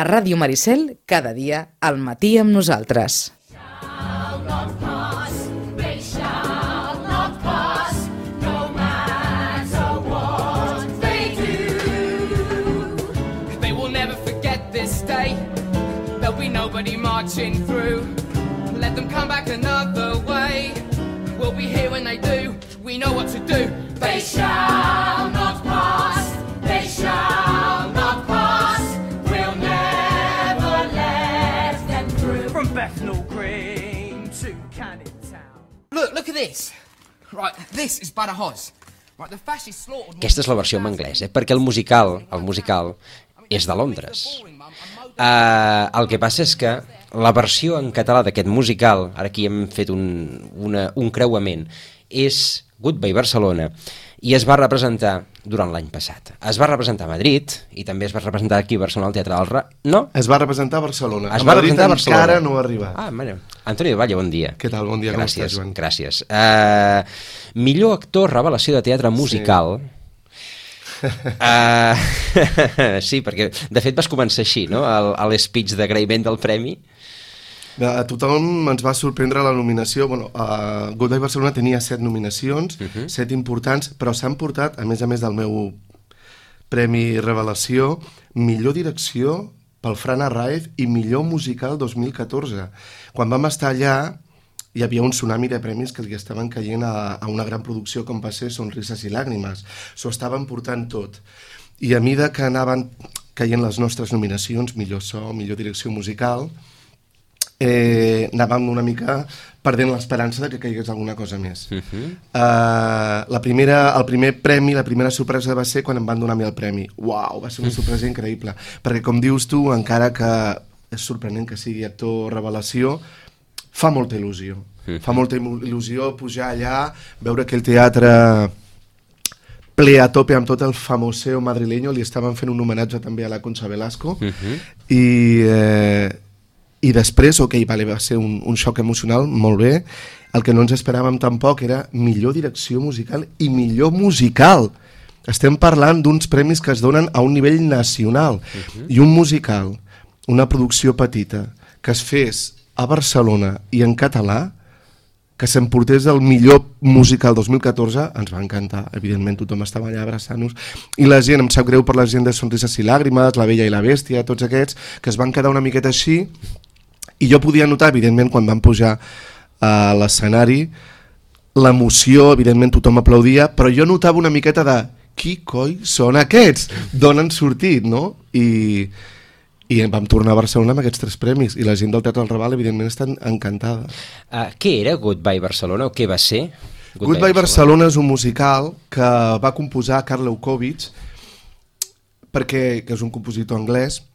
A Ràdio Maricel, cada dia, al matí amb nosaltres. There'll be nobody marching through. Let them come back another way. We'll be here when they do. We know what to do. They shall not pass. They shall not pass. We'll never let them through. From Bethnal Green to Canning Town. Look at this. Right, this is Badajoz. Right, the fascist slaughtered. Aquesta és la versió en anglès, perquè el musical és de Londres. El que passa és que la versió en català d'aquest musical, ara aquí hem fet un creuament, és Goodbye Barcelona, i es va representar durant l'any passat. Es va representar a Madrid, i també es va representar aquí a Barcelona al Teatre del Ra... No? Es va representar a Barcelona. A Madrid encara no ha arribat. Ah, mare. Antoni de Valle, bon dia. Què tal? Bon dia, com estàs, Joan? Gràcies. Millor actor revelació de teatre musical... Sí. Sí, perquè de fet vas començar així, no? L'espeech d'agraïment del premi. A tothom ens va sorprendre la nominació. Goodbye Barcelona tenia 7 nominacions, 7 importants, però s'han portat, a més del meu premi revelació, millor direcció pel Fran Arraiz i millor musical 2014. Quan vam estar allà hi havia un tsunami de premis que li estaven caient a una gran producció com va ser Sonrises i Làgrimes. S'ho estaven portant tot. I a mesura que anaven caient les nostres nominacions, millor so, millor direcció musical, anàvem una mica perdent l'esperança de que caigués alguna cosa més. El primer premi, la primera sorpresa va ser quan em van donar a mi el premi. Uau, va ser una sorpresa increïble. Perquè, com dius tu, encara que és sorprenent que sigui actor revelació, fa molta il·lusió. Fa molta il·lusió pujar allà, veure aquell teatre ple a tope amb tot el famoseo madrileño. Li estaven fent un homenatge també a la Concha Velasco. I després, va ser un xoc emocional, molt bé. El que no ens esperàvem tampoc era millor direcció musical i millor musical. Estem parlant d'uns premis que es donen a un nivell nacional. I un musical, una producció petita, que es fes a Barcelona i en català, que s'emportés el millor musical 2014, ens va encantar. Evidentment tothom estava allà abraçant-nos, i la gent, em sap greu per la gent de Sonrises i Làgrimes, La Bella i la Bèstia, tots aquests que es van quedar una miqueta així, i jo podia notar, evidentment, quan van pujar a l'escenari, l'emoció, evidentment tothom aplaudia, però jo notava una miqueta de qui coi són aquests? D'on han sortit, no? I vam tornar a Barcelona amb aquests 3 premis, i la gent del Teatre del Raval evidentment està encantada. Què era Goodbye Barcelona, o què va ser? Goodbye Barcelona és un musical que va composar Karl Lewkowicz, que és un compositor anglès,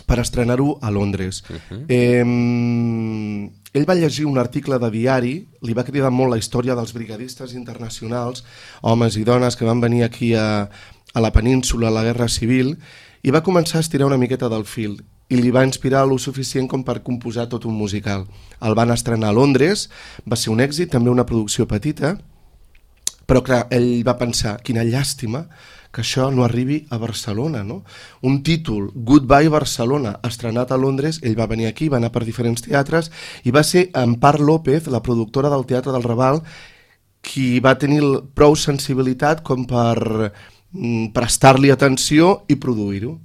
per estrenar-ho a Londres. Ell va llegir un article de diari, li va cridar molt la història dels brigadistes internacionals, homes i dones que van venir aquí a la península a la Guerra Civil, i va començar a estirar una miqueta del fil, i li va inspirar lo suficient com per composar tot un musical. El van estrenar a Londres, va ser un èxit, també una producció petita, però clar, ell va pensar, quina llàstima que això no arribi a Barcelona, no? Un títol, Goodbye Barcelona, estrenat a Londres, ell va venir aquí, va anar per diferents teatres, i va ser Ampar López, la productora del Teatre del Raval, qui va tenir prou sensibilitat com per prestar-li atenció i produir-ho.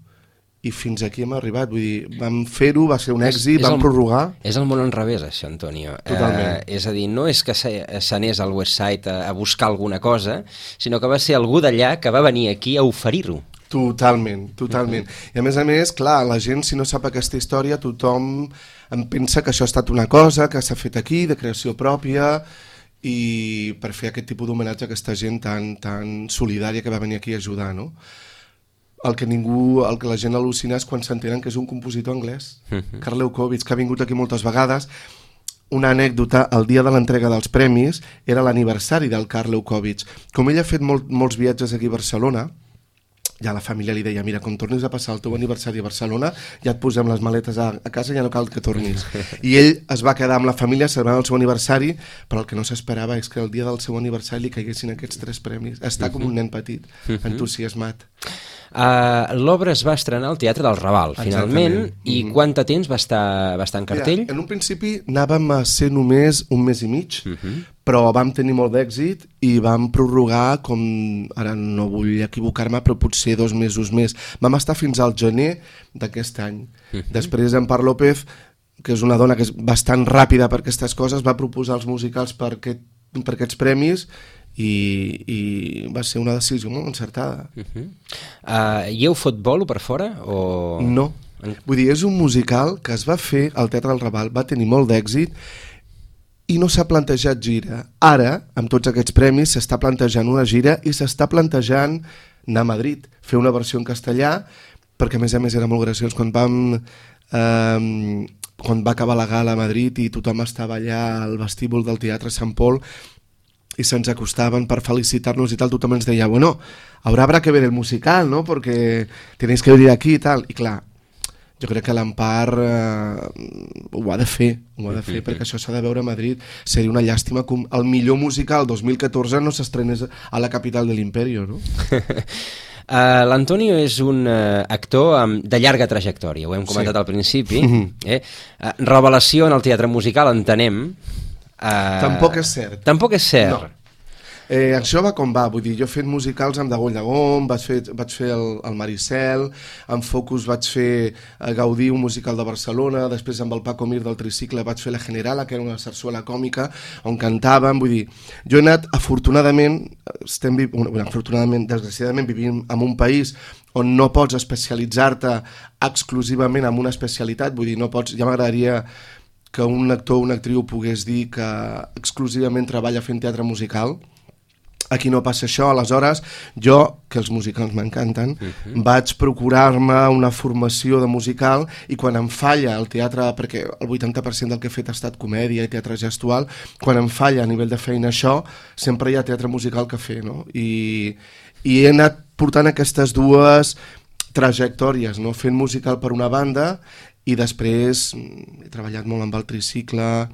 I fins aquí hem arribat, vull dir, vam fer-ho, va ser un èxit, vam prorrogar. És el món al revés, això, Antonio. Totalment. És a dir, no és que s'anés al West Side a buscar alguna cosa, sinó que va ser algú d'allà que va venir aquí a oferir-ho. Totalment. I a més, clar, la gent, si no sap aquesta història, tothom em pensa que això ha estat una cosa que s'ha fet aquí, de creació pròpia, i per fer aquest tipus d'homenatge a aquesta gent tan solidària que va venir aquí a ajudar, no? El que la gent al·lucina és quan s'entenen que és un compositor anglès, Karl Lewkowicz, que ha vingut aquí moltes vegades. Una anècdota, el dia de l'entrega dels premis era l'aniversari del Karl Lewkowicz. Com ell ha fet molts viatges aquí a Barcelona, ja la família li deia, mira, com tornis a passar el teu aniversari a Barcelona, ja et posem les maletes a casa i ja no cal que tornis. I ell es va quedar amb la família celebrant el seu aniversari, però el que no s'esperava és que el dia del seu aniversari li caiguessin aquests 3 premis. Està com un nen petit, entusiasmat. L'obra es va estrenar al Teatre del Raval, finalment, i quant de temps va estar en cartell? Mira, en un principi anàvem a ser només un mes i mig, però vam tenir molt d'èxit i vam prorrogar, com ara no vull equivocar-me, però potser 2 mesos més. Vam estar fins al gener d'aquest any. Després en Par López, que és una dona que és bastant ràpida per aquestes coses, va proposar els musicals per aquests premis i va ser una decisió molt encertada. Hi heu fot bolo per fora? O... No. Vull dir, és un musical que es va fer al Teatre del Raval, va tenir molt d'èxit i no s'ha plantejat gira. Ara, amb tots aquests premis, s'està plantejant una gira i s'està plantejant anar a Madrid, fer una versió en castellà, perquè a més era molt graciós quan va acabar la gala a Madrid i tothom estava allà al vestíbul del Teatre Sant Pol i se'ns acostaven per felicitar-nos i tal, tothom ens deia, bueno, habrá que ver el musical, ¿no? Porque tenéis que venir aquí i tal. I clar, jo crec que l'Empar ho ha de fer, perquè això s'ha de veure a Madrid. Seria una llàstima que el millor musical 2014 no s'estrenés a la capital de l'Imperio, no? L'Antonio és un actor de llarga trajectòria, ho hem comentat al principi. Revelació en el teatre musical, entenem. Tampoc és cert. Tampoc és cert. No. Això va com va, vull dir, jo he fet musicals amb Dagoll Dagón, vaig fer el Maricel, amb Focus vaig fer Gaudí, un musical de Barcelona, després amb el Paco Mir del Tricicle vaig fer La Generala, que era una sarsuela còmica on cantàvem, vull dir, jo he anat, afortunadament, desgraciadament vivim en un país on no pots especialitzar-te exclusivament en una especialitat, vull dir, no pots, ja m'agradaria que un actor o una actriu pogués dir que exclusivament treballa fent teatre musical. Aquí no passa això, aleshores jo, que els musicals m'encanten, vaig procurar-me una formació de musical i quan em falla el teatre, perquè el 80% del que he fet ha estat comèdia i teatre gestual, quan em falla a nivell de feina això, sempre hi ha teatre musical que fer, no? I he anat portant aquestes dues trajectòries, no? Fent musical per una banda i després he treballat molt amb el Tricicle,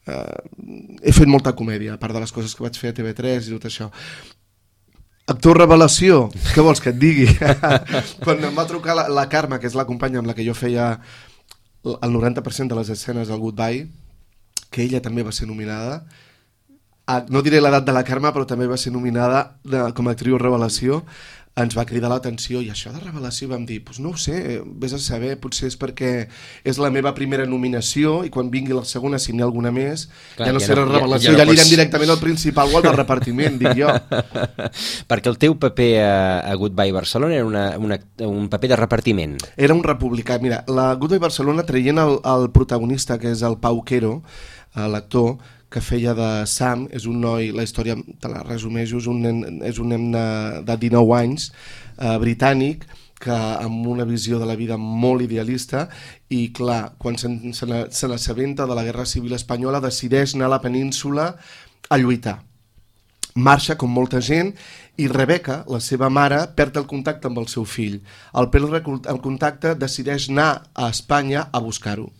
he fet molta comèdia, a part de les coses que vaig fer a TV3 i tot això. Actor revelació, què vols que et digui? Quan em va trucar la Carme, que és la companya amb la que jo feia el 90% de les escenes al Goodbye, que ella també va ser nominada, no diré l'edat de la Carme, però també va ser nominada com a actriu revelació, ens va cridar l'atenció i això de revelació vam dir, doncs no ho sé, vés a saber, potser és perquè és la meva primera nominació i quan vingui la segona, si n'hi ha alguna més, clar, ja no serà revelació, ja anirem directament al principal o al de repartiment, dic jo. Perquè el teu paper a Goodbye Barcelona era un paper de repartiment. Era un republicà, mira, la Goodbye Barcelona traient el protagonista, que és el Pau Quero, l'actor, que feia de Sam, és un noi, la història te la resumeixo, és un nen de 19 anys, britànic, que amb una visió de la vida molt idealista i clar, quan se n'assabenta de la Guerra Civil Espanyola decideix anar a la península a lluitar. Marxa com molta gent i Rebeca, la seva mare, perd el contacte amb el seu fill. Al perdre el contacte decideix anar a Espanya a buscar-ho.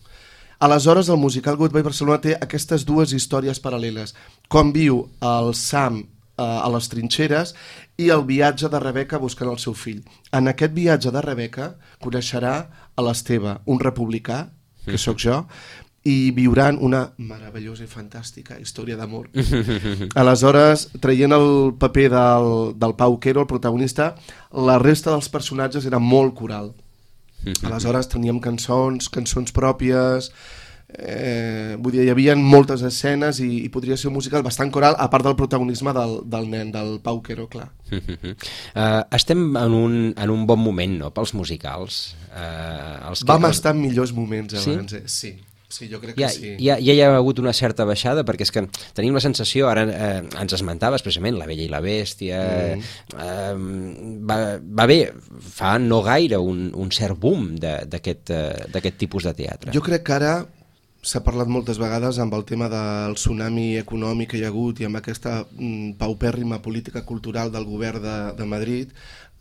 Aleshores, el musical Goodbye Barcelona té aquestes dues històries paral·leles. Com viu el Sam a les trinxeres i el viatge de Rebeca buscant el seu fill. En aquest viatge de Rebeca coneixerà a l'Esteve, un republicà, que sóc jo, i viuran una meravellosa i fantàstica història d'amor. Aleshores, traient el paper del Pau Quero, el protagonista, la resta dels personatges era molt coral. Aleshores teníem cançons pròpies, vull dir, hi havia moltes escenes i podria ser un musical bastant coral, a part del protagonisme del nen, del Pau Quero, clar. Estem en un bon moment, no?, pels musicals. Vam estar en millors moments abans, sí? Sí, jo crec que sí. Ja hi ha hagut una certa baixada, perquè és que tenim la sensació, ara ens esmentaves precisament La Bella i la Bèstia, va bé, fa no gaire un cert boom d'aquest tipus de teatre. Jo crec que ara s'ha parlat moltes vegades amb el tema del tsunami econòmic que hi ha hagut i amb aquesta paupèrrima política cultural del govern de Madrid,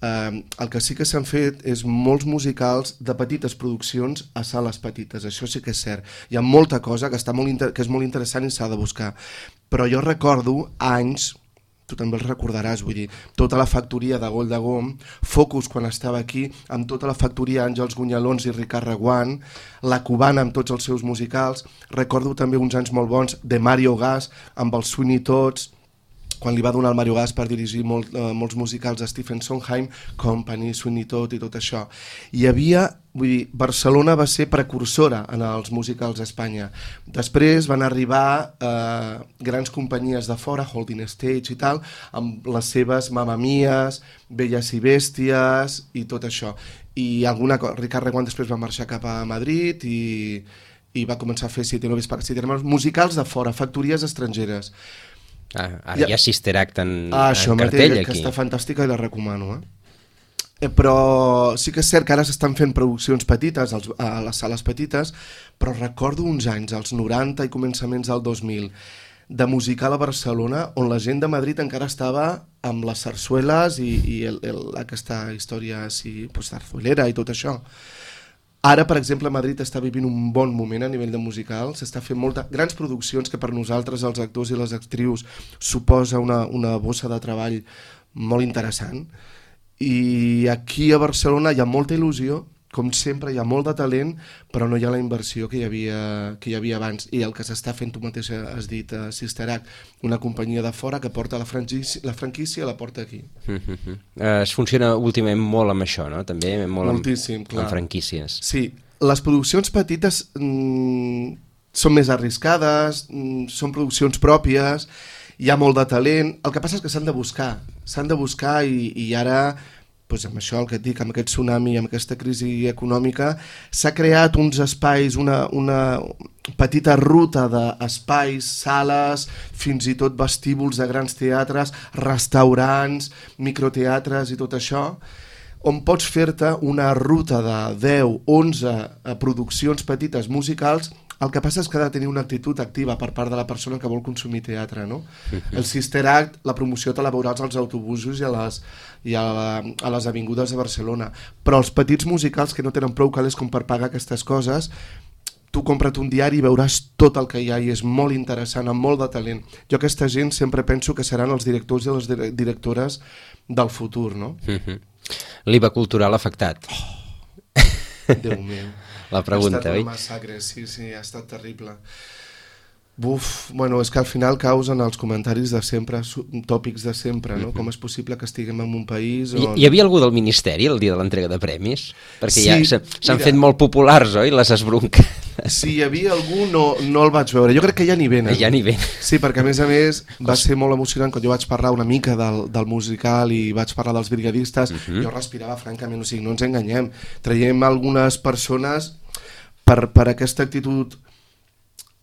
El que sí que s'han fet és molts musicals de petites produccions a sales petites, això sí que és cert. Hi ha molta cosa que és molt interessant i s'ha de buscar. Però jo recordo anys, tu també els recordaràs, vull dir, tota la factoria de Goll de Gom, Focus quan estava aquí, amb tota la factoria Àngels Gunyalons i Ricard Reguant, La Cubana amb tots els seus musicals, recordo també uns anys molt bons de Mario Gas amb els Sweeney Tots, quan li va donar el Mario Gas per dirigir molts musicals a Stephen Sondheim, Company, Sweeney Todd i tot això. Hi havia, vull dir, Barcelona va ser precursora en els musicals a Espanya. Després van arribar grans companyies de fora, Holding Stage i tal, amb les seves Mamma Mias, Belles i Bèsties i tot això. I Ricard Reguant després va marxar cap a Madrid i va començar a fer Siete Noves para Siete Hermanos, musicals de fora, factories estrangeres. Ara hi ha Sister Act en això cartell mateix, aquí. que està fantàstica i la recomano. Però sí que és cert que ara s'estan fent produccions petites a les sales petites, però recordo uns anys, als 90 i començaments del 2000, de musical a Barcelona, on la gent de Madrid encara estava amb les sarsueles i aquesta història així, zarzuelera i tot això. Ara, per exemple, Madrid està vivint un bon moment a nivell de musical, s'està fent grans produccions que per nosaltres, els actors i les actrius, suposa una bossa de treball molt interessant. I aquí a Barcelona hi ha molta il·lusió, com sempre hi ha molt de talent, però no hi ha la inversió que hi havia abans. I el que s'està fent, tu mateix has dit, Sister Act, una companyia de fora que porta la franquícia, la porta aquí. Es funciona últimament molt amb això, no? També molt moltíssim, amb franquícies. Sí, les produccions petites són més arriscades, són produccions pròpies, hi ha molt de talent, el que passa és que s'han de buscar i ara, doncs amb això el que et dic, amb aquest tsunami, amb aquesta crisi econòmica, s'ha creat uns espais, una petita ruta d'espais, sales, fins i tot vestíbuls de grans teatres, restaurants, microteatres i tot això, on pots fer-te una ruta de 10, 11 produccions petites musicals. El que passa és que ha de tenir una actitud activa per part de la persona que vol consumir teatre, no? El Sister Act, la promoció te la veuràs als autobusos i a les avingudes de Barcelona. Però els petits musicals que no tenen prou calés com per pagar aquestes coses, tu compra't un diari i veuràs tot el que hi ha i és molt interessant, amb molt de talent. Jo aquesta gent sempre penso que seran els directors i les directores del futur, no? L'IVA cultural afectat. Déu meu. La pregunta, oi? Ha estat un massacre, sí, ha estat terrible. Bueno, és que al final causen els comentaris de sempre, tòpics de sempre, no? Com és possible que estiguem en un país on... Hi havia algú del Ministeri el dia de l'entrega de premis? Perquè sí, ja s'han fet molt populars, oi, les esbronques? Si hi havia algú, no el vaig veure. Jo crec que ja n'hi venen. Ja n'hi venen. Sí, perquè a més va ser molt emocionant quan jo vaig parlar una mica del musical i vaig parlar dels brigadistes. Jo respirava francament, o sigui, no ens enganyem. Traiem algunes persones per aquesta actitud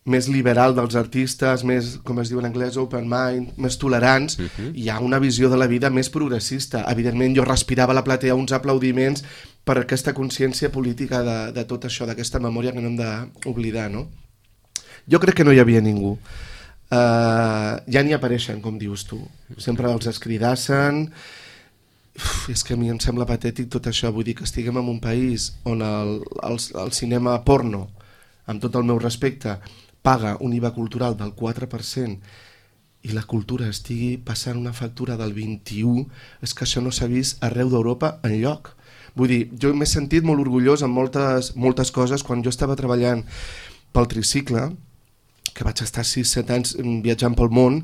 més liberal dels artistes, més, com es diu en anglès, open mind, més tolerants, hi ha una visió de la vida més progressista. Evidentment, jo respirava a la platea uns aplaudiments per aquesta consciència política de tot això, d'aquesta memòria que no hem d'oblidar, no? Jo crec que no hi havia ningú. Ja n'hi apareixen, com dius tu. Sempre els escridassen. És que a mi em sembla patètic tot això. Vull dir que estiguem en un país on el cinema porno, amb tot el meu respecte, paga un IVA cultural del 4% i la cultura estigui passant una factura del 21%, és que això no s'ha vist arreu d'Europa enlloc. Vull dir, jo m'he sentit molt orgullós en moltes coses. Quan jo estava treballant pel tricicle, que vaig estar 6-7 anys viatjant pel món,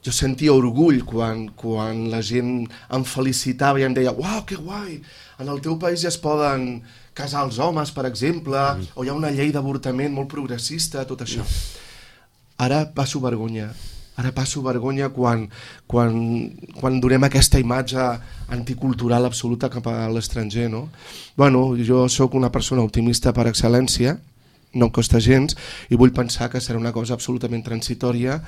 jo sentia orgull quan la gent em felicitava i em deia «Uau, que guai! En el teu país ja es poden casar els homes, per exemple, o hi ha una llei d'avortament molt progressista», tot això. Ara passo vergonya. Ara passo vergonya quan donem aquesta imatge anticultural absoluta cap a l'estranger, no? Bueno, jo sóc una persona optimista per excel·lència, no em costa gens, i vull pensar que serà una cosa absolutament transitòria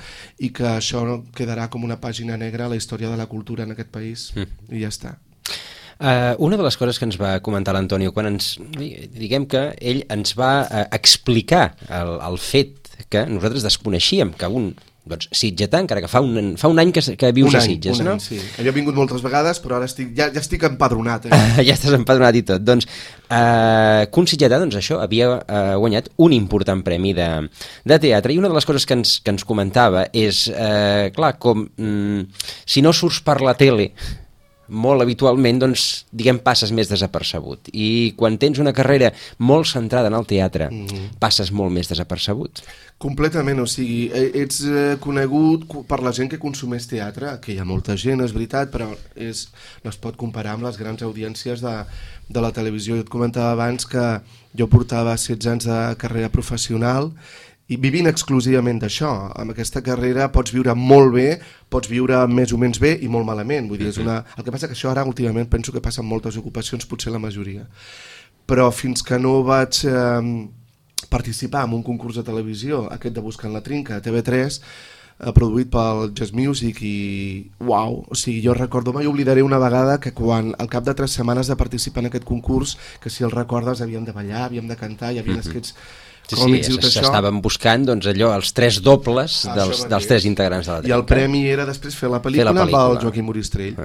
i que això quedarà com una pàgina negra a la història de la cultura en aquest país, i ja està. Una de les coses que ens va comentar l'Antonio, quan diguem que ell ens va explicar el fet que nosaltres desconeixíem que un doncs sitgetà, encara que fa un any que vius a Sitges, no? Sí. Jo he vingut moltes vegades, però ara ja estic empadronat. Ja estàs empadronat i tot. Doncs Kun sitgetà, doncs això, havia guanyat un important premi de teatre, i una de les coses que ens comentava és, clar, com si no surts per la tele molt habitualment, doncs, diguem, passes més desapercebut. I quan tens una carrera molt centrada en el teatre, passes molt més desapercebut. Completament, o sigui, ets conegut per la gent que consumeix teatre, que hi ha molta gent, és veritat, però no es pot comparar amb les grans audiències de la televisió. Jo et comentava abans que jo portava 16 anys de carrera professional i vivint exclusivament d'això. Amb aquesta carrera pots viure molt bé, pots viure més o menys bé i molt malament. Vull dir, el que passa que això ara últimament penso que passa en moltes ocupacions, potser la majoria. Però fins que no vaig participar en un concurs de televisió, aquest de Buscant la Trinca, a TV3, produït pel Jazz Music, i uau, o sigui, jo recordo, mai oblidaré una vegada que quan al cap de 3 setmanes de participar en aquest concurs, que si el recordes havíem de ballar, havíem de cantar, hi havia esquets còmics i tot això. S'estaven buscant, doncs, allò, els 3 dobles dels 3 integrants de la Trinca. I el premi era després fer la pel·lícula amb el Joaquim Moristrell.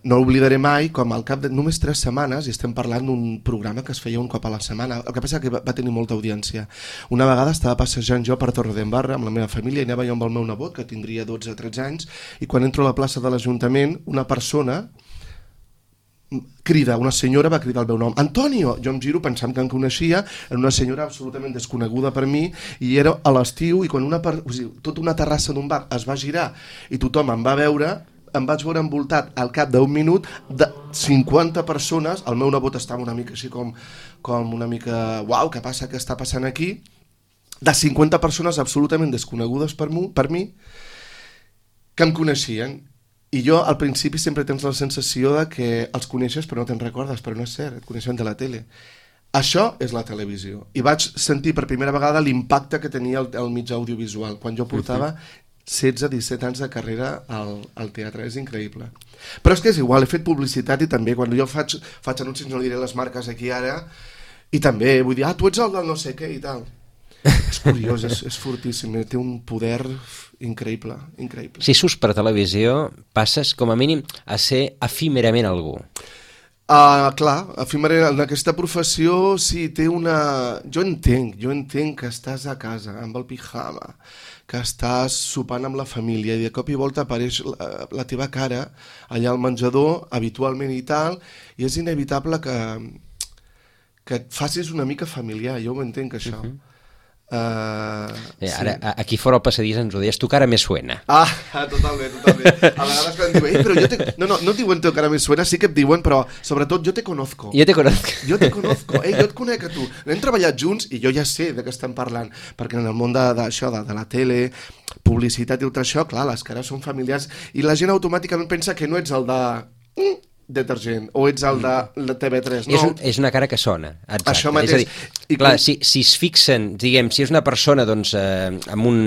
No oblidaré mai com al cap de només 3 setmanes, i estem parlant d'un programa que es feia un cop a la setmana, el que passa que va tenir molta audiència. Una vegada estava passejant jo per Torredembarra amb la meva família, i anava jo amb el meu nebot, que tindria 12 o 13 anys, i quan entro a la plaça de l'Ajuntament, una persona crida, una senyora va cridar el meu nom, Antonio! Jo em giro pensant que em coneixia, era una senyora absolutament desconeguda per mi, i era a l'estiu, i quan tota una terrassa d'un bar es va girar i tothom em va veure, em vaig veure envoltat al cap d'un minut de 50 persones. El meu nebot estava una mica així com una mica, uau, què passa, què està passant aquí? De 50 persones absolutament desconegudes per mi, que em coneixien. I jo al principi sempre tens la sensació de que els coneixes però no te'n recordes, però no és cert, et coneixen de la tele. Això és la televisió. I vaig sentir per primera vegada l'impacte que tenia el mitjà audiovisual, quan jo portava 16-17 anys de carrera al teatre. És increïble. Però és que és igual, he fet publicitat, i també quan jo faig anuncis, no diré les marques aquí ara, i també vull dir, tu ets el del no sé què i tal. És curiós, és fortíssim, té un poder increïble. Si surts per televisió, passes com a mínim a ser efímerament algú. Clar, efímerament, en aquesta professió sí, té una... Jo entenc que estàs a casa amb el pijama, que estàs sopant amb la família, i de cop i volta apareix la teva cara allà al menjador, habitualment i tal, i és inevitable que et facis una mica familiar. Jo ho entenc, això. Ara, aquí fora al passadís ens ho deies, tu cara me suena. Totalment. A vegades quan diuen, però no et diuen tu cara me suena, sí que et diuen, però sobretot jo te conozco. Jo te conozco, jo et conec a tu. Hem treballat junts i jo ja sé de què estem parlant, perquè en el món d'això, de la tele, publicitat i tot això, clar, les cares són familiars i la gent automàticament pensa que no ets el de detergent, o ets el de TV3, no? És una cara que sona, exacte. Això mateix. És a dir, clar, si es fixen, diguem, si és una persona doncs, amb un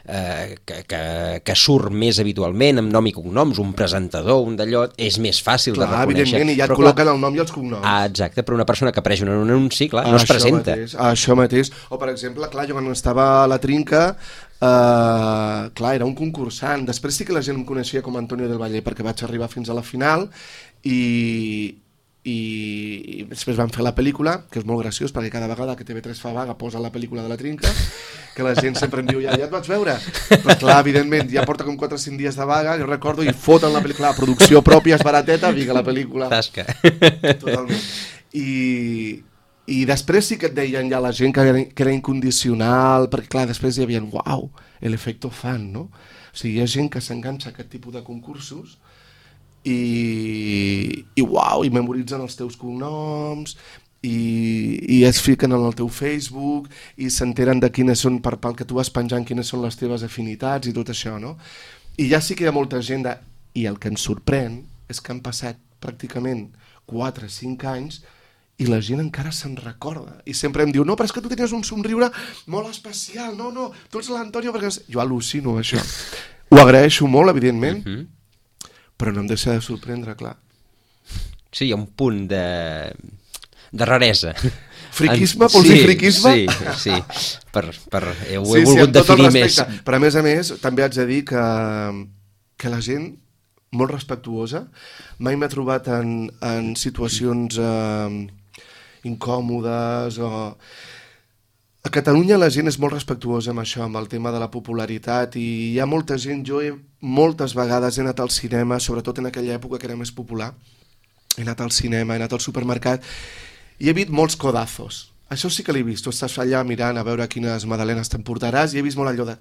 que surt més habitualment, amb nom i cognoms, un presentador, un d'allò, és més fàcil de reconèixer. Evidentment, i ja et col·loquen el nom i els cognoms. Exacte, però una persona que apareix en un anunci, clar, no es presenta. Això mateix. O, per exemple, clar, jo quan estava a la Trinca, clar, era un concursant. Després sí que la gent em coneixia com Antonio del Valle, perquè vaig arribar fins a la final, i després van fer la pel·lícula, que és molt graciós perquè cada vegada que TV3 fa vaga posa la pel·lícula de la Trinca, que la gent sempre em diu, ja et vaig veure, però clar, evidentment ja porta com 4 o 5 dies de vaga, jo recordo, i foten la pel·lícula, la producció pròpia és barateta, vinga la pel·lícula. Tasca. Totalment. I després sí que et deien ja la gent que era incondicional, perquè clar, després hi havia uau, l'efecte fan, no? O sigui, hi ha gent que s'enganxa a aquest tipus de concursos i uau, i memoritzen els teus cognoms, i es fiquen en el teu Facebook i s'enteren de quines són, pel que tu vas penjant, quines són les teves afinitats i tot això, no? I ja sí que hi ha molta gent i el que ens sorprèn és que han passat pràcticament 4 o 5 anys i la gent encara se'n recorda i sempre em diu, no, però és que tu tenies un somriure molt especial, no, tu ets l'Antonio, perquè jo al·lucino això, ho agraeixo molt, evidentment, però no em deixa de sorprendre, clar. Sí, hi ha un punt de raresa Friquisme, vols dir friquisme? Sí. Ho he volgut definir més. Però a més, també haig de dir que la gent, molt respectuosa, mai m'ha trobat en situacions incòmodes o... A Catalunya la gent és molt respectuosa amb això, amb el tema de la popularitat, i hi ha molta gent, moltes vegades he anat al cinema, sobretot en aquella època que era més popular, he anat al cinema, he anat al supermercat, i he vist molts codazos. Això sí que l'he vist, tu estàs allà mirant a veure quines magdalenes t'emportaràs, i he vist molt allò de...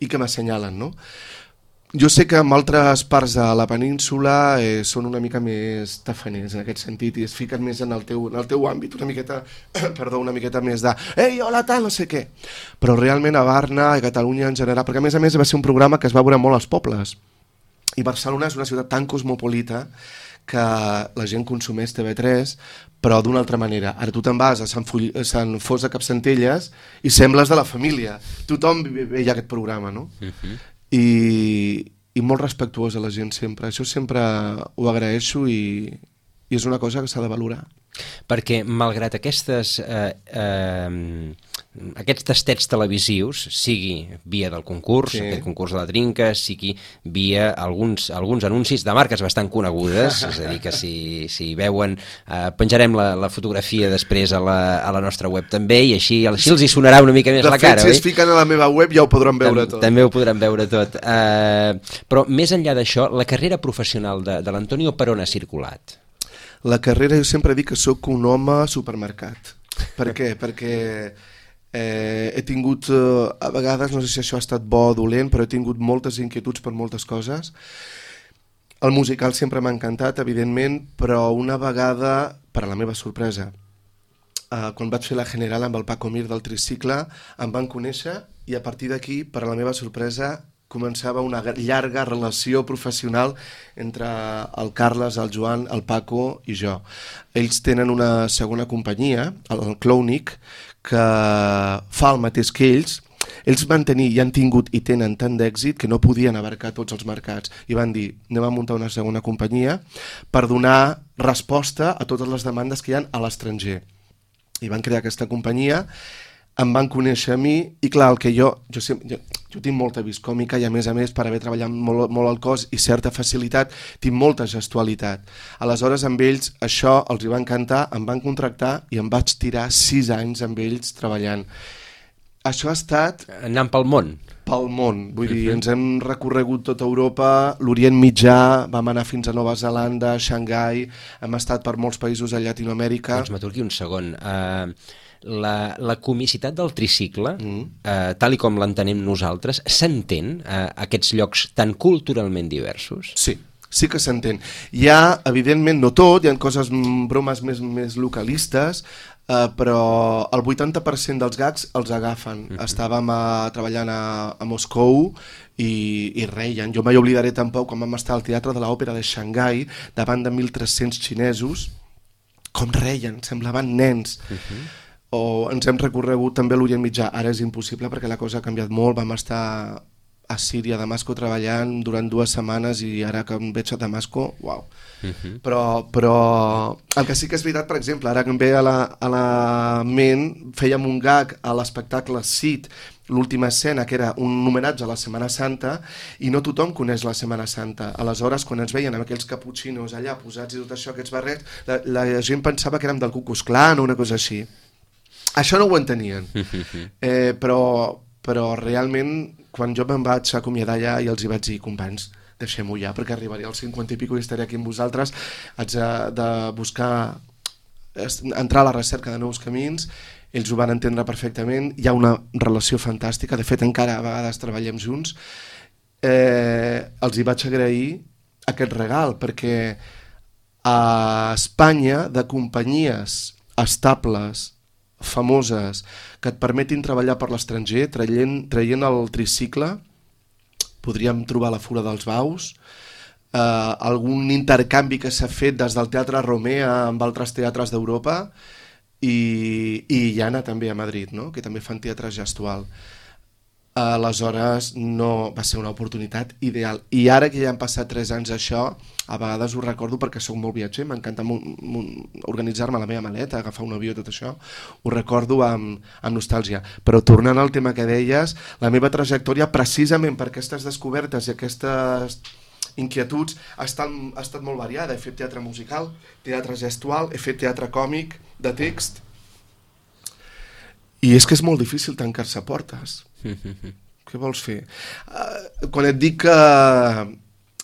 i que m'assenyalen, no? Jo sé que en altres parts de la península són una mica més tafaners en aquest sentit i es fiquen més en el teu àmbit, una miqueta més de «Ei, hola, tal, no sé què». Però realment a Barna, a Catalunya en general, perquè a més va ser un programa que es va veure molt als pobles. I Barcelona és una ciutat tan cosmopolita que la gent consumeix TV3, però d'una altra manera. Ara tu te'n vas a Sant Fos de Capcentelles i sembles de la família. Tothom veia aquest programa, no? I molt respectuosa la gent sempre. Això sempre ho agraeixo i és una cosa que s'ha de valorar. Perquè malgrat aquests tastets televisius, sigui via del concurs, aquest concurs de la Trinca, sigui via alguns anuncis de marques bastant conegudes, és a dir, que si veuen, penjarem la fotografia després a la nostra web també, i així els hi sonarà una mica més la cara. De fet, si es fiquen a la meva web ja ho podran veure tot. També ho podran veure tot. Però més enllà d'això, la carrera professional de l'Antonio per on ha circulat? La carrera, jo sempre dic que sóc un home supermercat. Per què? Perquè he tingut, a vegades, no sé si això ha estat bo o dolent, però he tingut moltes inquietuds per moltes coses. El musical sempre m'ha encantat, evidentment, però una vegada, per a la meva sorpresa, quan vaig fer la General amb el Paco Mir del Tricicle, em van conèixer i a partir d'aquí, per a la meva sorpresa, començava una llarga relació professional entre el Carles, el Joan, el Paco i jo. Ells tenen una segona companyia, el Clownic, que fa el mateix que ells. Ells van tenir i han tingut i tenen tant d'èxit que no podien abarcar tots els mercats i van dir, anem a muntar una segona companyia per donar resposta a totes les demandes que hi ha a l'estranger. I van crear aquesta companyia, em van conèixer a mi i clar, el que jo tinc molta vis còmica i a més, per haver treballat molt al cos i certa facilitat, tinc molta gestualitat. Aleshores, amb ells, això els hi va encantar, em van contractar i em vaig tirar 6 anys amb ells treballant. Això ha estat... Anant pel món? Pel món, vull dir, ens hem recorregut tota Europa, l'Orient Mitjà, vam anar fins a Nova Zelanda, Xangai, hem estat per molts països a Llatinoamèrica... Doncs m'aturqui un segon. La comicitat del tricicle, tal i com l'entenem nosaltres, s'entén a aquests llocs tan culturalment diversos? Sí que s'entén. Hi ha, evidentment, no tot, hi ha coses, bromes més localistes, però el 80% dels gags els agafen. Estàvem treballant a Moscou i reien. Jo mai oblidaré tampoc quan vam estar al Teatre de l'Òpera de Xangai davant de 1.300 xinesos, com reien, semblaven nens. O ens hem recorregut també a l'Orient Mitjà. Ara és impossible perquè la cosa ha canviat molt. Vam estar a Síria, a Damasco, treballant durant 2 setmanes i ara que em veig a Damasco, uau. Però el que sí que és veritat, per exemple, ara que em ve a la ment, fèiem un gag a l'espectacle Cid, l'última escena, que era un homenatge a la Setmana Santa, i no tothom coneix la Setmana Santa. Aleshores, quan ens veien amb aquells caputxinos allà posats i tot això, aquests barrets, la gent pensava que érem del Ku Klux Klan o una cosa així. Això no ho entenien, però realment quan jo me'n vaig acomiadar allà i els hi vaig dir, companys, deixem-ho ja perquè arribaré als 50 i pico i estaré aquí amb vosaltres, haig de buscar, entrar a la recerca de nous camins, ells ho van entendre perfectament, hi ha una relació fantàstica, de fet encara a vegades treballem junts, els hi vaig agrair aquest regal perquè a Espanya de companyies estables, famoses, que et permetin treballar per l'estranger, traient el tricicle, podríem trobar la Fura dels Baus, algun intercanvi que s'ha fet des del Teatre Romea amb altres teatres d'Europa i Llana també a Madrid, no? Que també fan teatre gestual. aleshores no va ser una oportunitat ideal. I ara que ja han passat 3 anys d'això, a vegades ho recordo perquè sóc molt viatger, m'encanta organitzar-me la meva maleta, agafar un avió, tot això, ho recordo amb nostàlgia. Però tornant al tema que deies, la meva trajectòria, precisament per aquestes descobertes i aquestes inquietuds, ha estat molt variada. He fet teatre musical, teatre gestual, he fet teatre còmic, de text, i és que és molt difícil tancar-se portes. Què vols fer? Quan et dic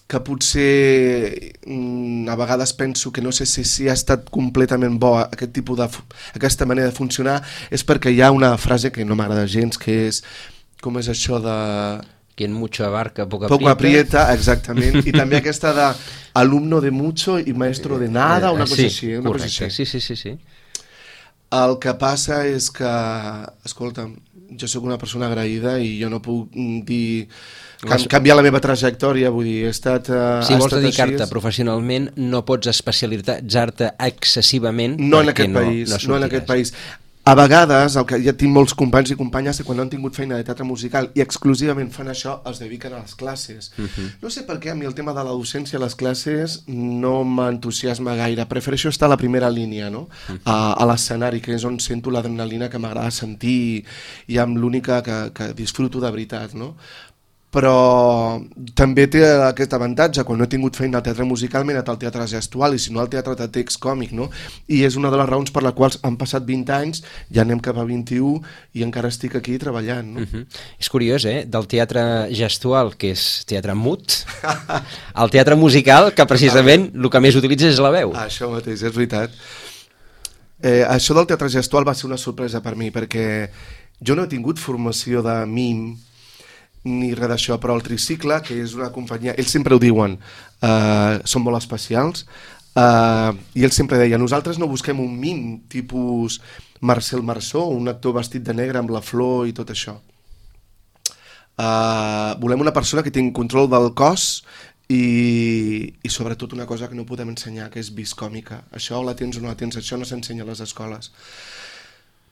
que potser a vegades penso que no sé si ha estat completament bo aquesta manera de funcionar, és perquè hi ha una frase que no m'agrada gens, que és, com és això de... Quien mucho abarca, poco aprieta, exactament, i també aquesta de alumno de mucho i maestro de nada, una cosa així. Correcte, sí. El que passa és que, escolta'm, jo sóc una persona agraïda i jo no puc dir canviar la meva trajectòria, vull dir, he estat si vols dedicar-te professionalment no pots especialitzar-te excessivament no en aquest país. A vegades, ja tinc molts companys i companyes que quan no han tingut feina de teatre musical i exclusivament fan això, es dediquen a les classes. No sé per què, a mi el tema de la docència a les classes no m'entusiasma gaire. Prefereixo estar a la primera línia, no? A l'escenari, que és on sento l'adrenalina que m'agrada sentir i amb l'única que disfruto de veritat, no? Però també té aquest avantatge, quan no he tingut feina al teatre musical m'he anat al teatre gestual i si no al teatre de text còmic, no? I és una de les raons per les quals han passat 20 anys, ja anem cap a 21 i encara estic aquí treballant, no? És curiós, del teatre gestual, que és teatre mut, al teatre musical, que precisament el que més utilitza és la veu. Això mateix, és veritat. Això del teatre gestual va ser una sorpresa per mi, perquè jo no he tingut formació de mim ni res d'això, però el Tricicle, que és una companyia, ells sempre ho diuen, són molt especials, i ells sempre deien, nosaltres no busquem un mim tipus Marcel Marceau, un actor vestit de negre amb la flor i tot això. Volem una persona que tingui control del cos i sobretot una cosa que no podem ensenyar, que és vis còmica. Això la tens o no la tens, això no s'ensenya a les escoles.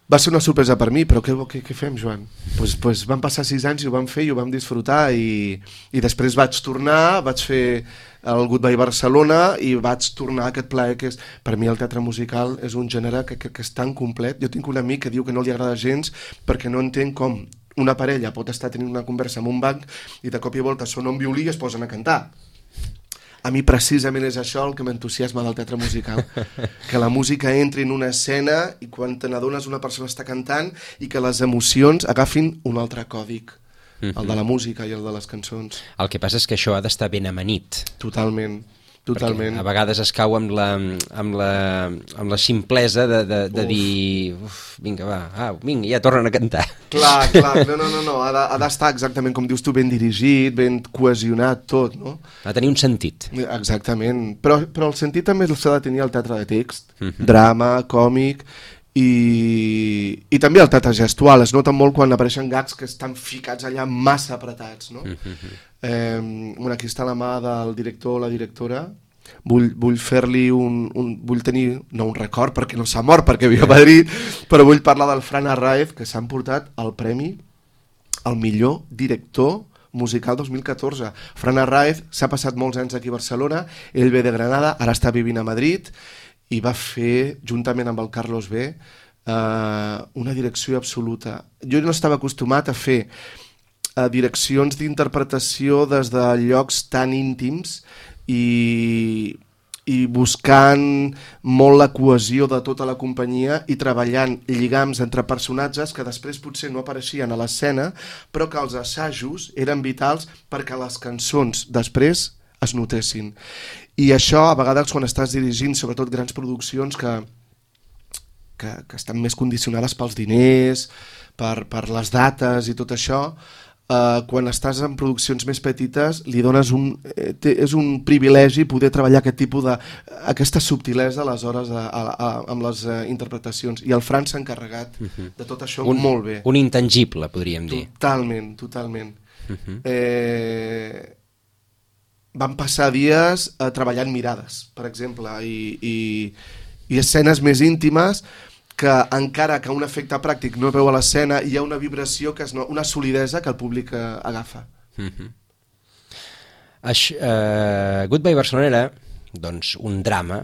Va ser una sorpresa per mi, però què fem, Joan? Pues van passar 6 anys i ho vam fer i ho vam disfrutar i després vaig tornar, vaig fer el Goodbye Barcelona i vaig tornar a aquest plaer que és... Per mi el teatre musical és un gènere que és tan complet. Jo tinc un amic que diu que no li agrada gens perquè no entén com una parella pot estar tenint una conversa en un banc i de cop i volta sona un violí i es posen a cantar. A mi precisament és això el que m'entusiasma del teatre musical, que la música entri en una escena i quan te n'adones una persona està cantant i que les emocions agafin un altre còdic, el de la música i el de les cançons. El que passa és que això ha d'estar ben amanit. Totalment. Totalment. Perquè a vegades es cau amb la simplesa de dir vinga, va, vinga, ja tornen a cantar. Clar, no, ha d'estar exactament com dius tu, ben dirigit, ben cohesionat tot, no? Ha de tenir un sentit. Exactament, però el sentit també s'ha de tenir al teatre de text, drama, còmic i també el teatre gestual. Es nota molt quan apareixen gags que estan ficats allà massa apretats, no? Aquí està la mà del director o la directora. Vull fer-li vull tenir, no un record perquè no s'ha mort perquè viu a Madrid, però vull parlar del Fran Arraez, que s'ha emportat el premi al millor director musical 2014. Fran Arraez s'ha passat molts anys aquí a Barcelona, ell ve de Granada, ara està vivint a Madrid i va fer, juntament amb el Carlos B, una direcció absoluta. Jo no estava acostumat a fer direccions d'interpretació des de llocs tan íntims i buscant molt la cohesió de tota la companyia i treballant lligams entre personatges que després potser no apareixien a l'escena, però que els assajos eren vitals perquè les cançons després es notessin. I això, a vegades, quan estàs dirigint, sobretot grans produccions que estan més condicionades pels diners, per les dates i tot això, quan estàs en produccions més petites li dones és un privilegi poder treballar aquest tipus aquesta subtilesa aleshores amb les interpretacions, i el Fran s'ha encarregat de tot això molt bé. Un intangible, podríem dir. Totalment. Vam passar dies treballant mirades, per exemple, i escenes més íntimes que encara que un efecte pràctic no veu a l'escena, hi ha una vibració, una solidesa que el públic agafa. Goodbye Barcelona era doncs, un drama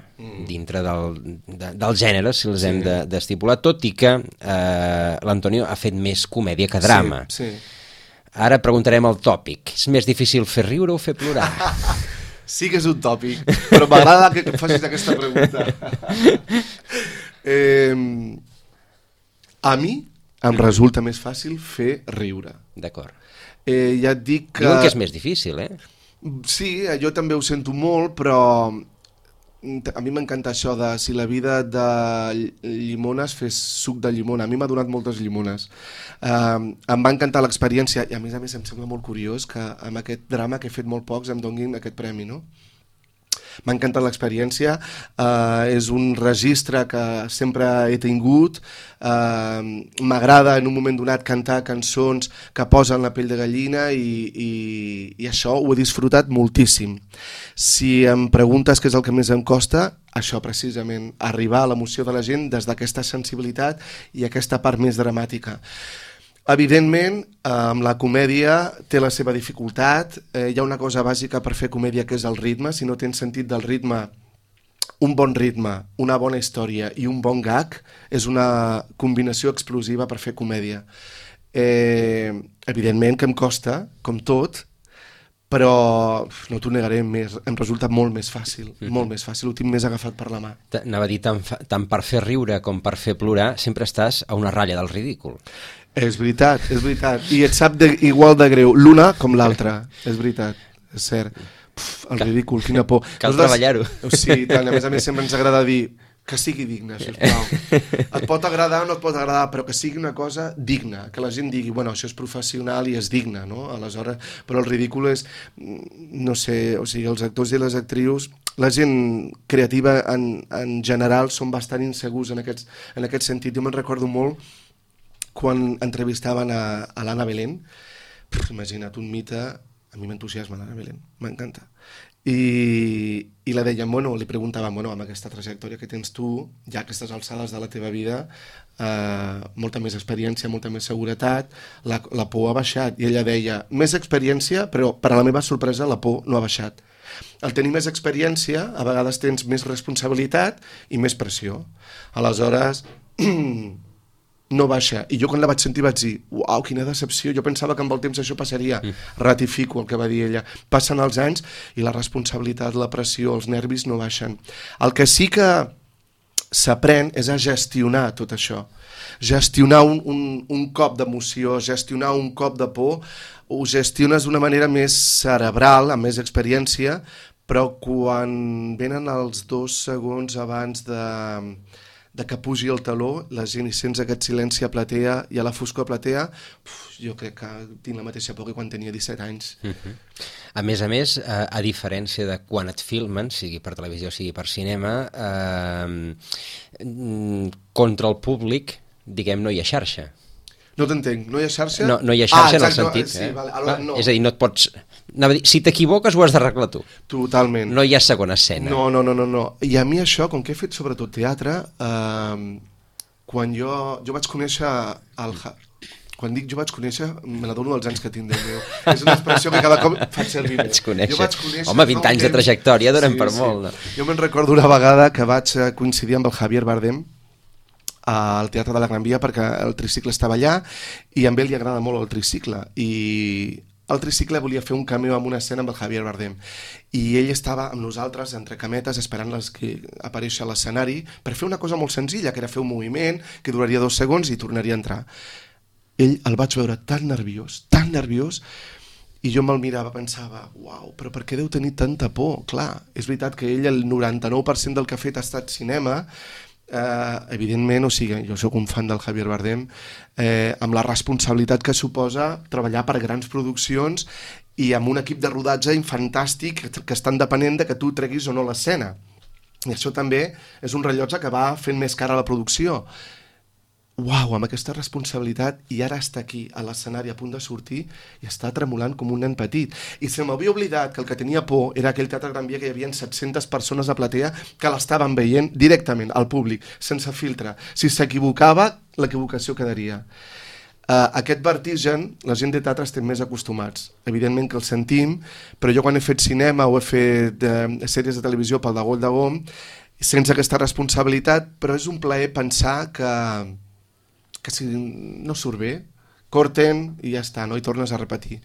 dintre del gènere, si els hem d'estipular, tot i que l'Antonio ha fet més comèdia que drama. Sí. Ara preguntarem el tòpic. És més difícil fer riure o fer plorar? Sí que és un tòpic, però m'agrada que em facis aquesta pregunta. A mi em resulta més fàcil fer riure. D'acord. Ja et dic que... Diuen que és més difícil, eh? Sí, jo també ho sento molt, però a mi m'encanta això de si la vida de llimones fes suc de llimona. A mi m'ha donat moltes llimones. Em va encantar l'experiència i a més em sembla molt curiós que amb aquest drama que he fet molt pocs em donin aquest premi, no? M'ha encantat l'experiència, és un registre que sempre he tingut, m'agrada en un moment donat cantar cançons que posen la pell de gallina i això ho he disfrutat moltíssim. Si em preguntes què és el que més em costa, això precisament, arribar a l'emoció de la gent des d'aquesta sensibilitat i aquesta part més dramàtica. Evidentment, amb la comèdia té la seva dificultat, hi ha una cosa bàsica per fer comèdia que és el ritme, si no tens sentit del ritme, un bon ritme, una bona història i un bon gag és una combinació explosiva per fer comèdia. Evidentment que em costa, com tot, però no t'ho negaré, em resulta molt més fàcil, molt més fàcil, ho tinc més agafat per la mà. Anava a dir, tant per fer riure com per fer plorar, sempre estàs a una ratlla del ridícul. És veritat, i et sap igual de greu l'una com l'altra, és veritat, és cert. El ridícul, quina por. Cal treballar-ho. Sí, tant, a més sempre ens agrada dir que sigui digne, sisplau. Et pot agradar o no et pot agradar, però que sigui una cosa digna, que la gent digui, bueno, això és professional i és digne, no? Aleshores, però el ridícul és, no sé, o sigui, els actors i les actrius, la gent creativa en general són bastant insegurs en aquest sentit. Jo me'n recordo molt quan entrevistaven a l'Anna Belén. Imagina't, un mite, a mi m'entusiasma l'Anna Belén, m'encanta. I la deien, bueno, li preguntaven, bueno, amb aquesta trajectòria que tens tu, ja a aquestes alçades de la teva vida, molta més experiència, molta més seguretat, la por ha baixat. I ella deia, més experiència, però per a la meva sorpresa la por no ha baixat. Al tenir més experiència, a vegades tens més responsabilitat i més pressió. Aleshores, no baixa. I jo quan la vaig sentir vaig dir, uau, quina decepció, jo pensava que amb el temps això passaria. Ratifico el que va dir ella. Passen els anys i la responsabilitat, la pressió, els nervis no baixen. El que sí que s'aprèn és a gestionar tot això. Gestionar un cop d'emoció, gestionar un cop de por, ho gestiones d'una manera més cerebral, amb més experiència, però quan venen els 2 segons abans de que pugi el taló, la gent hi sents aquest silenci a platea i a la foscor a platea, jo crec que tinc la mateixa por que quan tenia 17 anys. A més, a diferència de quan et filmen, sigui per televisió o sigui per cinema, contra el públic, diguem, no hi ha xarxa. No t'entenc, no hi ha xarxa? No hi ha xarxa en el sentit. Sí, vale. No. És a dir, no et pots... Si t'equivoques ho has d'arreglar tu. Totalment. No hi ha segona escena. No. I a mi això, com que he fet sobretot teatre, quan jo vaig conèixer quan dic jo vaig conèixer, me n'adono dels anys que tinc, Déu meu. És una expressió que cada cop faig servir més. Jo vaig conèixer. Home, 20 anys de trajectòria donen per molt. No? Jo me'n recordo una vegada que vaig coincidir amb el Javier Bardem al Teatre de la Gran Via perquè el tricicle estava allà i a ell li agrada molt el tricicle i el tricicle volia fer un cameo en una escena amb el Javier Bardem i ell estava amb nosaltres entre cametes esperant que apareixi a l'escenari per fer una cosa molt senzilla, que era fer un moviment que duraria 2 segons i tornaria a entrar. Ell el vaig veure tan nerviós i jo me'l mirava, pensava, uau, però per què deu tenir tanta por? Clar, és veritat que ell el 99% del que ha fet ha estat cinema. Evidentment, o sigui, jo sóc un fan del Javier Bardem, amb la responsabilitat que suposa treballar per grans produccions i amb un equip de rodatge fantàstic que estan depenent de que tu treguis o no l'escena. I això també és un rellotge que va fent més cara a la producció. uau, amb aquesta responsabilitat, i ara està aquí, a l'escenari, a punt de sortir, i està tremolant com un nen petit. I se m'havia oblidat que el que tenia por era aquell Teatre Gran Via que hi havia 700 persones a platea que l'estaven veient directament, al públic, sense filtre. Si s'equivocava, l'equivocació quedaria. Aquest vertigen, la gent de teatre estem més acostumats. Evidentment que el sentim, però jo quan he fet cinema o he fet sèries de televisió pel de Gol de Gom, sense aquesta responsabilitat, però és un plaer pensar que si no surt bé, corten i ja està, no hi tornes a repetir.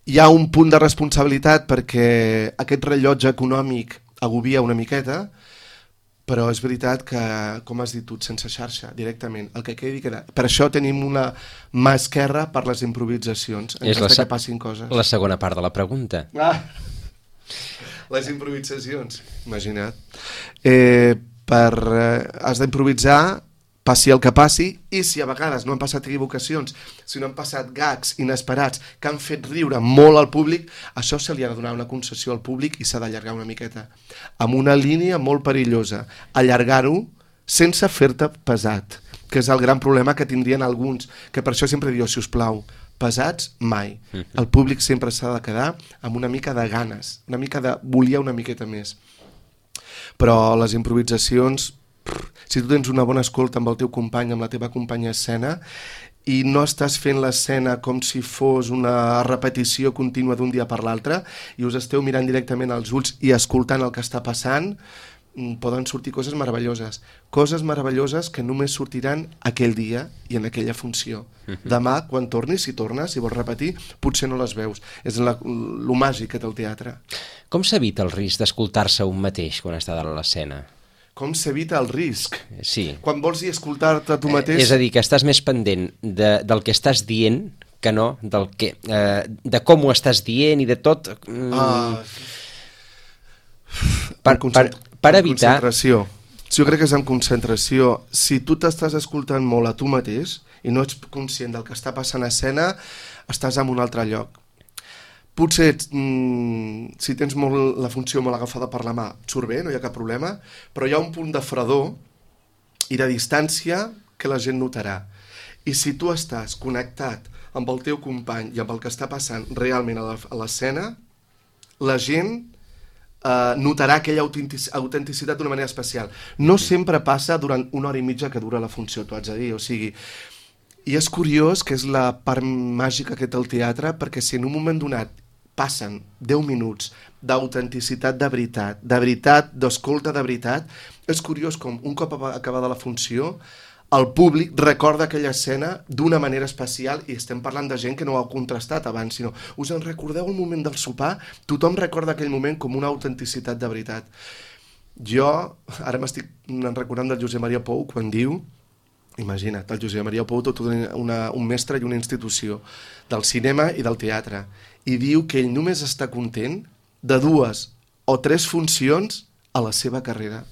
Hi ha un punt de responsabilitat perquè aquest rellotge econòmic agobia una miqueta, però és veritat que, com has dit tu, sense xarxa, directament, el que quedi queda. Per això tenim una mà esquerra per les improvisacions, en cas que passin coses. La segona part de la pregunta. Les improvisacions, imagina't. Has d'improvisar, passi el que passi, i si a vegades no han passat equivocacions, si no han passat gags inesperats que han fet riure molt al públic, això se li ha de donar una concessió al públic i s'ha d'allargar una miqueta. Amb una línia molt perillosa. Allargar-ho sense fer-te pesat, que és el gran problema que tindrien alguns, que per això sempre diu, si us plau, pesats mai. El públic sempre s'ha de quedar amb una mica de ganes, una mica de volia una miqueta més. Però les improvisacions, si tu tens una bona escolta amb el teu company, amb la teva companya escena, i no estàs fent l'escena com si fos una repetició contínua d'un dia per l'altre, i us esteu mirant directament als ulls i escoltant el que està passant, poden sortir coses meravelloses que només sortiran aquell dia i en aquella funció. Demà, quan tornis, si tornes, si vols repetir, potser no les veus. És lo màgic que té el teatre. Com s'evita el risc d'escoltar-se un mateix quan està dalt a l'escena? Com s'evita el risc? Sí. Quan vols dir escoltar-te tu mateix... És a dir, que estàs més pendent del que estàs dient que no de com ho estàs dient i de tot... Per evitar... Concentració. Jo crec que és en concentració. Si tu t'estàs escoltant molt a tu mateix i no ets conscient del que està passant a escena, estàs en un altre lloc. Potser, si tens la funció molt agafada per la mà, surt bé, no hi ha cap problema, però hi ha un punt de fredor i de distància que la gent notarà. I si tu estàs connectat amb el teu company i amb el que està passant realment a l'escena, la gent notarà aquella autenticitat d'una manera especial. No sempre passa durant una hora i mitja que dura la funció, t'ho haig de dir, o sigui... I és curiós que és la part màgica que té el teatre, perquè si en un moment donat passen 10 minuts d'autenticitat de veritat, d'escolta de veritat, és curiós com un cop acabada la funció el públic recorda aquella escena d'una manera especial, i estem parlant de gent que no ho ha contrastat abans, sinó us en recordeu el moment del sopar? Tothom recorda aquell moment com una autenticitat de veritat. Jo ara m'estic recordant del Josep Maria Pou quan diu, imagina't, el Josep Maria Pou, tot un mestre i una institució del cinema i del teatre, i diu que ell només està content de 2 o 3 funcions a la seva carrera.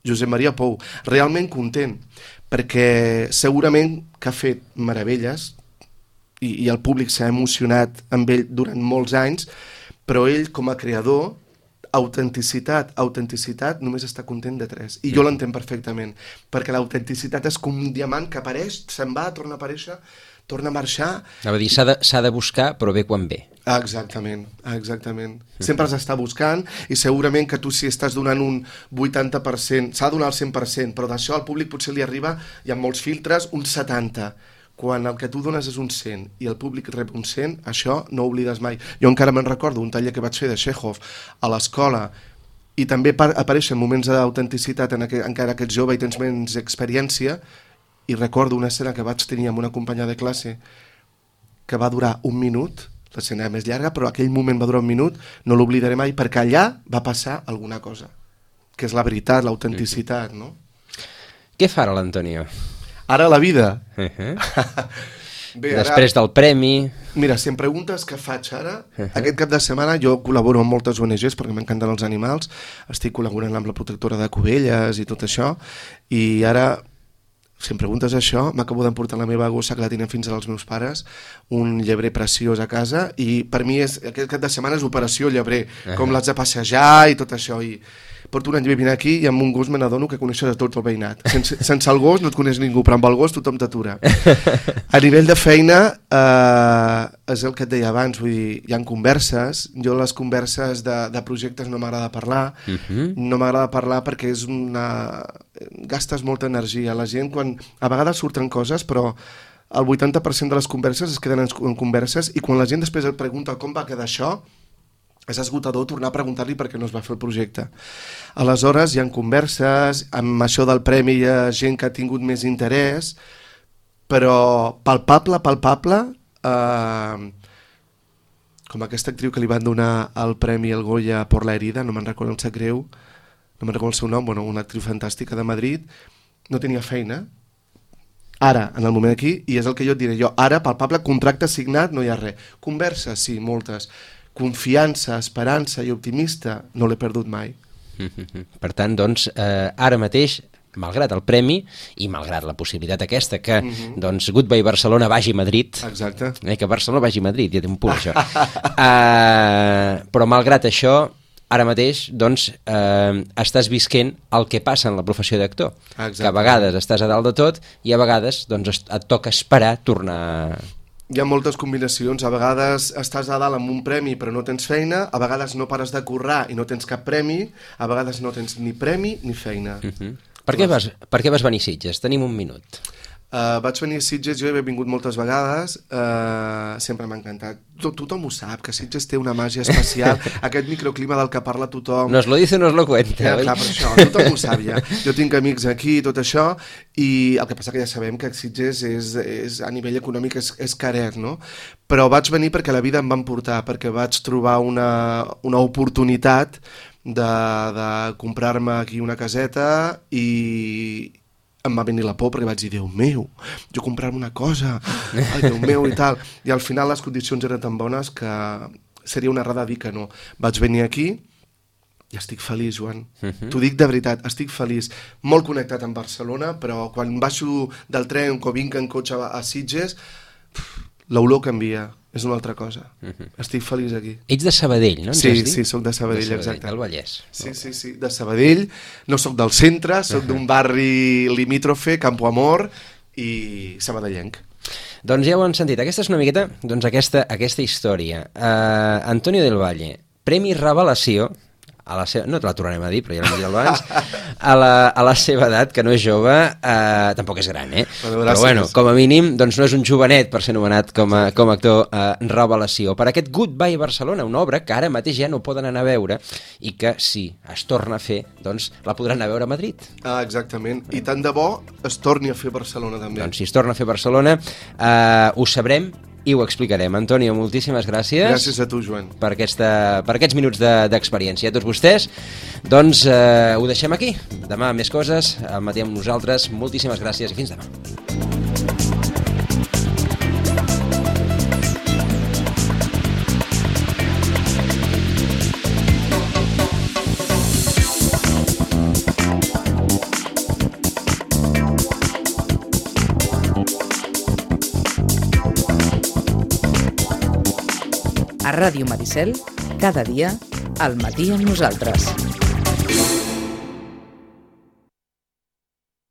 Josep Maria Pou, realment content, perquè segurament que ha fet meravelles i el públic s'ha emocionat amb ell durant molts anys, però ell com a creador, autenticitat, només està content de 3. I jo l'entenc perfectament, perquè l'autenticitat és com un diamant que apareix, se'n va, torna a aparèixer, torna a marxar... Anava a dir, s'ha de buscar, però ve quan ve. Exactament. Sempre s'està buscant, i segurament que tu si estàs donant un 80%, s'ha de donar el 100%, però d'això al públic potser li arriba, hi ha molts filtres, un 70%. Quan el que tu dones és un 100 i el públic rep un 100, això no ho oblides mai. Jo encara me'n recordo un taller que vaig fer de Chekhov a l'escola, i també apareixen moments d'autenticitat encara que ets jove i tens menys experiència, i recordo una escena que vaig tenir amb una companya de classe que va durar 1 minut, l'escena més llarga, però aquell moment va durar 1 minut, no l'oblidaré mai, perquè allà va passar alguna cosa, que és la veritat, l'autenticitat, no? Què farà l'Antonio? Ara la vida. Bé, després del premi... Mira, si em preguntes què faig ara, aquest cap de setmana jo col·laboro amb moltes ONGs perquè m'encanten els animals, estic col·laborant amb la protectora de Cubelles i tot això, i ara, si em preguntes això, m'acabo d'emportar la meva gossa que la tenia fins als meus pares, un llebrer preciós a casa, i per mi aquest cap de setmana és operació llebrer, com l'haig de passejar i tot això, porto un any vivint aquí i amb un gos me n'adono que coneixes a tot el veïnat. Sense el gos no et coneix ningú, però amb el gos tothom t'atura. A nivell de feina, és el que et deia abans, vull dir, hi ha converses. Jo les converses de projectes no m'agrada parlar, no m'agrada parlar perquè és gastes molta energia. La gent, quan a vegades surten coses, però el 80% de les converses es queden en converses i quan la gent després et pregunta com va quedar això, és esgotador tornar a preguntar-li per què no es va fer el projecte. Aleshores hi ha converses, amb això del premi hi ha gent que ha tingut més interès, però palpable, com aquesta actriu que li van donar el premi al Goya per La herida, no me'n recordo, em sap greu, no me'n recordo el seu nom, bueno, una actriu fantàstica de Madrid, no tenia feina, ara, en el moment aquí, i és el que jo et diré jo, ara, palpable, contracte signat, no hi ha res. Converses, sí, moltes. Confiança, esperança i optimista, no l'he perdut mai. Per tant, doncs, ara mateix, malgrat el premi i malgrat la possibilitat aquesta que doncs, Goodbye Barcelona vagi a Madrid, exacte. Que Barcelona vagi a Madrid, ja té un punt això, però malgrat això, ara mateix doncs, estàs visquent el que passa en la professió d'actor, que a vegades estàs a dalt de tot i a vegades doncs, et toca esperar tornar... Hi ha moltes combinacions, a vegades estàs a dalt amb un premi però no tens feina, a vegades no pares de currar i no tens cap premi, a vegades no tens ni premi ni feina. Per què vas venir a Sitges? Tenim un minut. Vaig venir a Sitges, jo he vingut moltes vegades, sempre m'ha encantat. Tothom ho sap, que Sitges té una màgia especial, aquest microclima del que parla tothom. Nos lo dice, nos lo cuenta. Clar, per això, tothom ho sap ja. Jo tinc amics aquí i tot això, i el que passa que ja sabem que Sitges és a nivell econòmic és caret, no? Però vaig venir perquè la vida em va emportar, perquè vaig trobar una oportunitat de comprar-me aquí una caseta i em va venir la por perquè vaig dir, Déu meu, jo comprar-me una cosa, ai, Déu meu i tal, i al final les condicions eren tan bones que seria una errada dir que no. Vaig venir aquí i estic feliç, Joan. T'ho dic de veritat, estic feliç. Molt connectat amb Barcelona, però quan baixo del tren o vinc en cotxe a Sitges, l'olor canvia, és una altra cosa. Estic feliç aquí. Ets de Sabadell, no? Sí, soc de Sabadell, exacte. Del Vallès. Sí, de Sabadell. No soc del centre, soc d'un barri limítrofe, Campo Amor i sabadellenc. Doncs ja ho han sentit, aquesta és una miqueta doncs aquesta història. Antonio del Valle, Premi Revelació, no te la tornarem a dir, però ja l'hem dit abans, a la seva edat, que no és jove, tampoc és gran, però bueno, com a mínim, doncs no és un jovenet per ser anomenat com a actor revelació. Per aquest Goodbye Barcelona, una obra que ara mateix ja no poden anar a veure i que si es torna a fer, doncs la podran anar a veure a Madrid. Exactament, i tant de bo es torni a fer Barcelona també. Doncs si es torna a fer Barcelona, ho sabrem i ho explicarem. Antonio, moltíssimes gràcies. Gràcies a tu, Joan. Per aquests minuts d'experiència. A tots vostès, doncs ho deixem aquí. Demà més coses, al matí amb nosaltres. Moltíssimes gràcies i fins demà. A Ràdio Maricel, cada dia, al matí amb nosaltres.